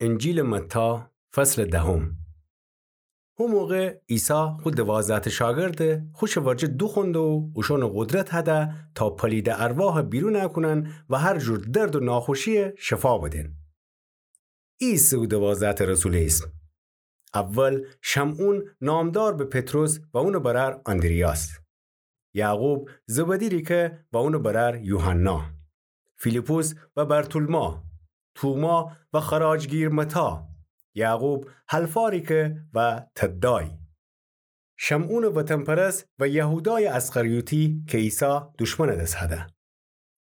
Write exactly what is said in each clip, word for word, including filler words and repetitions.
انجیلٚ متی، فصلٚ دهم. هو موقع عیسی خو دوازده‌تأ شاگردَ خوشٚ ورجه دوخوأنده و اوشأنَ قدرت هده تا پلیدٚ ارواحَ بیرون کونن و هر جور درد و ناخوشیَ شفا بدن. ای ایسه او دوازده‌تأ رسولٚ ایسم. اول شمعون، نامدار به پطرس و اونٚ برأر آندریاس. یعقوب، زبدی ریکه و اونٚ برأر یوحنا. فیلیپس و برتولما. توما و خراجگیر متی. یعقوب حلفا ریکه و تدای. شمعونٚ وطن‌پرست و یهودایٚ اسخریوطی کی عیسی دوشمنٚ دس هده.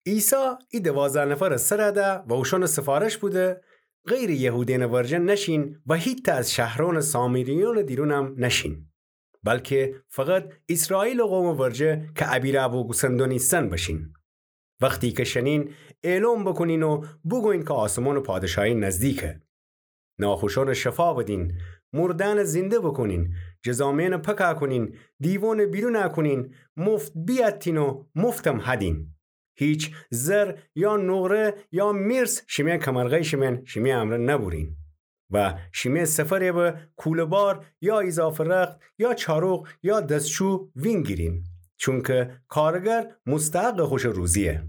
عیسی ای دوازده نفرٚ سر ده و اوشأنَ سفارش بوده، غیرٚ یهودأنٚ ورجه نشین و هیتأ از شهرأنٚ سامریأنٚ دیرونم نشین، بلکه فقط ایسرائیلٚ قومٚ ورجه کی ابیره‌بو گوسندون ایسن بشین. وختی کی شنین، اعلام بوکونین و بوگوین کی آسمانٚ پادشاهی نزدیکه. ناخوشأنَ شفا بدین، مردأنَ زنده بوکونین، جذامئنَ پاک کونین، دیوأنَ بیرون کونین، مفت بیأتین و مفتم هدین. هیچ زر یا نقره یا میرث شیمه کمرغیشٚ مئن شیمه امرأ نبورین. و شیمه سفرَ به کوله‌بار یا ایضافه رخت یا چاروق یا دسچو وینگیرین، چونکی کارگر مستحقٚ خوشٚ روزییه.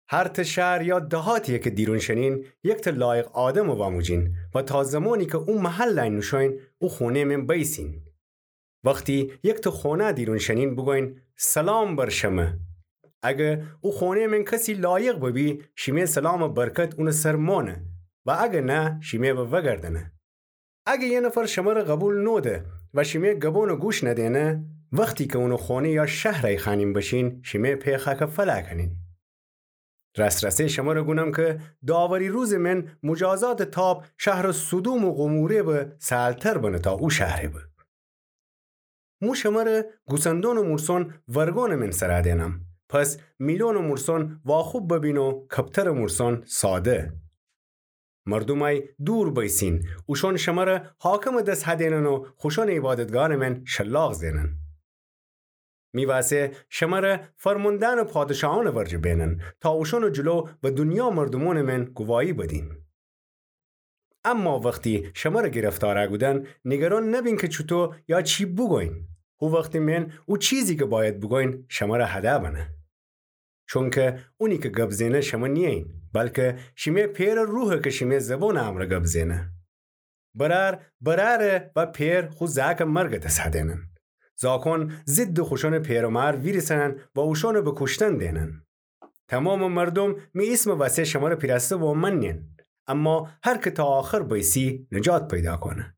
هر تأ شهر یا دهاتی کی دیرون شنین، یکتأ لایق آدم واموجین و تا زمانی کی او محل نوشوین، او خونه‌یٚ مئن بیسین. وختی یکتأ خونه دیرون شنین، بوگوین: سلام بر شمه. اگه او خونه‌یٚ مئن کسی لایق ببی، شیمه سلامٚ برکت اونٚ سر مانه و اگه نه، شیمه به وأگردأنه. اگه یه نفر شمره قبول نوده و شیمه گبونٚ گوش ندینه، وختی کی اونٚ خونه یا شهر ایخوأنین بشین، شیمه پئر خاکٚ فلأ کونین. راس‌راسی شمره گونم کی داوری روزٚ مئن مجازاتٚ تاب شهرٚ سدوم و گموره به سهل‌تر بنه تا او شهره به. مو شمره گوسندونٚ مورسون ورگونٚ مئن سرا دئنم. پس میلونٚ مورسون واخوب ببین و کپترٚ مورسون ساده. مردومأی دور بیسین، اوشون شمره حاکمٚ دس هدینن و خوشونٚ عیبادتگاهٚ مئن شلاق زئنن. می واسه شمره فرماندأنٚ پادشاهونٚ ورجه بئنن، تا اوشونٚ جلو به دونیا مردومونٚ مئن گواهی بدین. اما وختی شمره گرفتار کودن، نیگران نبین کی چوطو یا چی بوگوین. هو وختٚ مئن او چیزی کی بأید بوگوین، شمره هده بنه. چونکی اونی کی گب زئنه شمه نیین، بلکی شیمه پئرٚ روحه کی شیمه زبونٚ امرأ گب زئنه. برأر برأره و پئر خو زأکٚ مرگٚ دس هدینن. زأکون ضدٚ خوشونٚ پئر و مأر ویریسنن و اوشون به کوشتن دئنن. تومامٚ مردوم می ایسمٚ وسه شمره پیرأسته وامنین، اما هر کی تا آخر بیسی نجات پیدا کونه.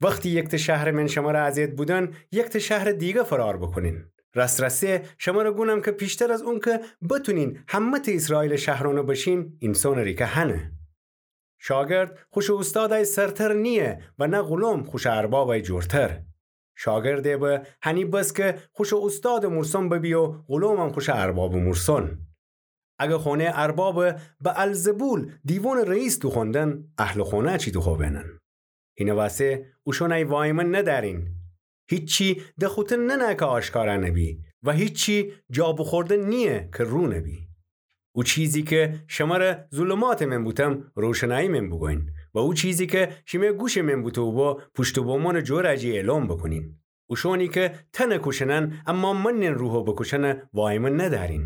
وختی یکتأ شهرٚ مئن شمره اذیت بودن، یکتأ شهرٚ دیگه فرار بوکونین. راس‌راسی شمره گونم کی پیشتر از اونکی بتونین همه‌تأ ایسرائیلٚ شهرأنٚ بشین، اینسانٚ ریکه هنه. شاگرد خوشٚ اوستادأی سرتر نییه و نه غلام خوشٚ اربابأی جورتر. شاگردٚ به هنی بس کی خوشٚ اوستادٚ مورسون ببی و غلامم خوشٚ اربابٚ مورسون. اگه خونه‌یٚ ارباب بألزبول دیوانٚ رئیس دوخوندن، اهلٚ خونه چی دوخوبنن؟ هینٚ وسه اوشونأی وایمن ندأرین. هیچی ده خوطه ننه کی آشکارا نبی و هیچی جا بوخورده نییه کی رو نبی. او چیزی کی شمره ظلماتٚ مئن بوتم، روشنایی مئن بوگوین و او چیزی کی شیمه گوشٚ مئن بوته بو، پوشت و بومونٚ جورأ جی اعلام بوکونین. اوشونی کی تنٚ کوشنن، اما منین روحٚ بوکوشنٚ وایمن ندأرین.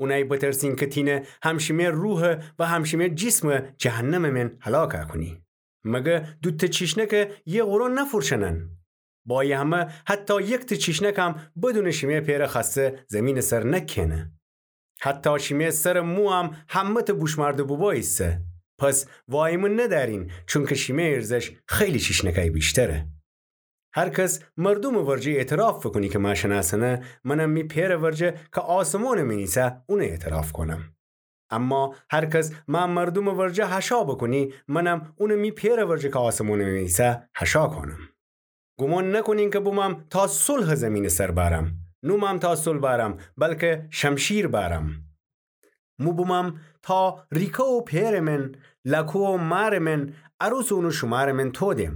اونأی بترسین کی تینه هم شیمه روح و هم شیمه جیسم جهنمٚ مئن هلاک کونی. مگه دوتأ چیشنک یه غره نفورشنن؟ بایه همه حتی یکتأ چیشنکم بدونٚ شیمه پئرٚ خوأسته زیمینٚ سر نکهنه. حتی شیمه سرٚ مویم همه‌تأ بوشمأرده بوبو ایسه. پس وایمن ندأرین، چونکی شیمه ارزش خیلی چیشنکأی ویشتره. هر کس مردومٚ ورجه اعتراف بوکونی کی مأ شنأسنه، منم می پئرٚ ورجه کی آسمونٚ مئن ایسه اون اعتراف کونم. اما هر کس مأ مردومٚ ورجه حشا بوکونی، منم اون می پئرٚ ورجه کی آسمونٚ مئن ایسه حشا کونم. گومان نوکونین کی بومم تا صلحٚ زیمینٚ سر بأرم. نومم تا صلح بأرم، بلکی شمشیر بأرم. مو بومم تا ریکه و پئرٚ مئن، لأکو و مأرٚ مئن، عروسٚ اون و شومأرٚ مئن تودم.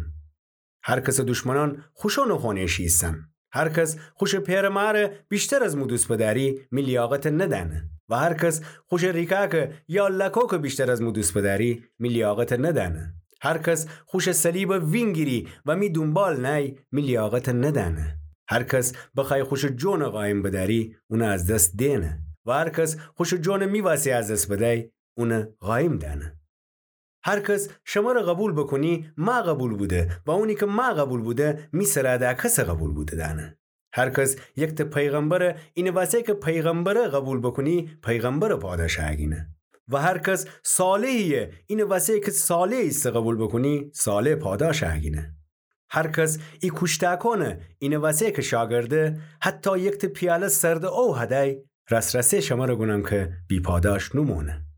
هر کسٚ دوشمنأن خوشونٚ خونه‌یٚ شی ایسن. هر کس خوشٚ پئرٚ مأرٚ ویشتر از مو دوست بدأری، می لیاقت ندأنه. و هر کس خوشٚ ریکاکٚ یا لأکوکٚ ویشتر از مو دوست بدأری، می لیاقت ندأنه. هر کس خوشٚ صلیبَ وینگیری و می دونبال نأی، می لیاقتَ ندأنه. هر کس بخوأی خوشٚ جونَ قایم بدأری، اونَ از دس دئنه. و هر کس خوشٚ جونَ می وأسی از دس بدأی، اونَ قایم دأنه. هر کس شمرَ قوبیل بوکونی، مأ قوبیل بوده، و اونی کی مأ قوبیل بوده، می سرَ دأ کسَ قوبیل بوده دأنه. هر کس یکتأ پیغمبرَ اینٚ وأسی کی پیغمبرَ قوبیل بوکونی، پیغمبرٚ پاداشَ گینه. و هر کس صالحی‌یَ اینٚ وأسی کی صالح ایسه قوبیل بوکونی، صالح پاداشَ گینه. هر کس ای کوشتأکونَ اینٚ وأسی کی شاگرده، حتی یکتأ پیاله سردٚ او هدأی، راس‌راسی شمرَ گونم کی بی‌پاداش نومونه.